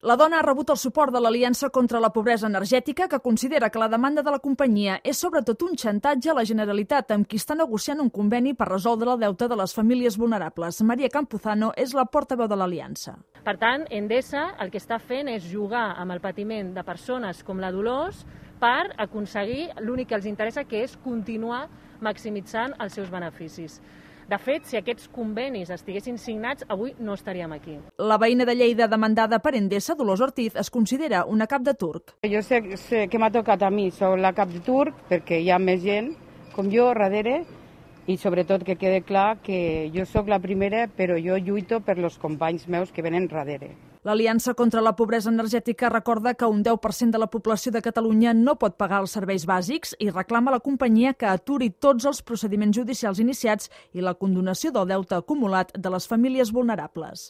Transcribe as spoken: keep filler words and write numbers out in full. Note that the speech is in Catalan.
La dona ha rebut el suport de l'Aliança contra la Pobresa Energètica, que considera que la demanda de la companyia és sobretot un xantatge a la Generalitat, amb qui està negociant un conveni per resoldre el deute de les famílies vulnerables. Maria Campuzano és la portaveu de l'Aliança. Per tant, Endesa el que està fent és jugar amb el patiment de persones com la Dolors per aconseguir l'únic que els interessa, que és continuar maximitzant els seus beneficis. De fet, si aquests convenis estiguessin signats, avui no estaríem aquí. La veïna de Lleida demandada per Endesa, Dolors Ortiz, es considera una cap de turc. Jo sé, sé que m'ha tocat a mi, soc la cap de turc, perquè hi ha més gent com jo darrere, i sobretot que quede clar que jo sóc la primera, però jo lluito per els companys meus que venen darrere. L'Aliança contra la Pobresa Energètica recorda que un deu per cent de la població de Catalunya no pot pagar els serveis bàsics i reclama a la companyia que aturi tots els procediments judicials iniciats i la condonació del deute acumulat de les famílies vulnerables.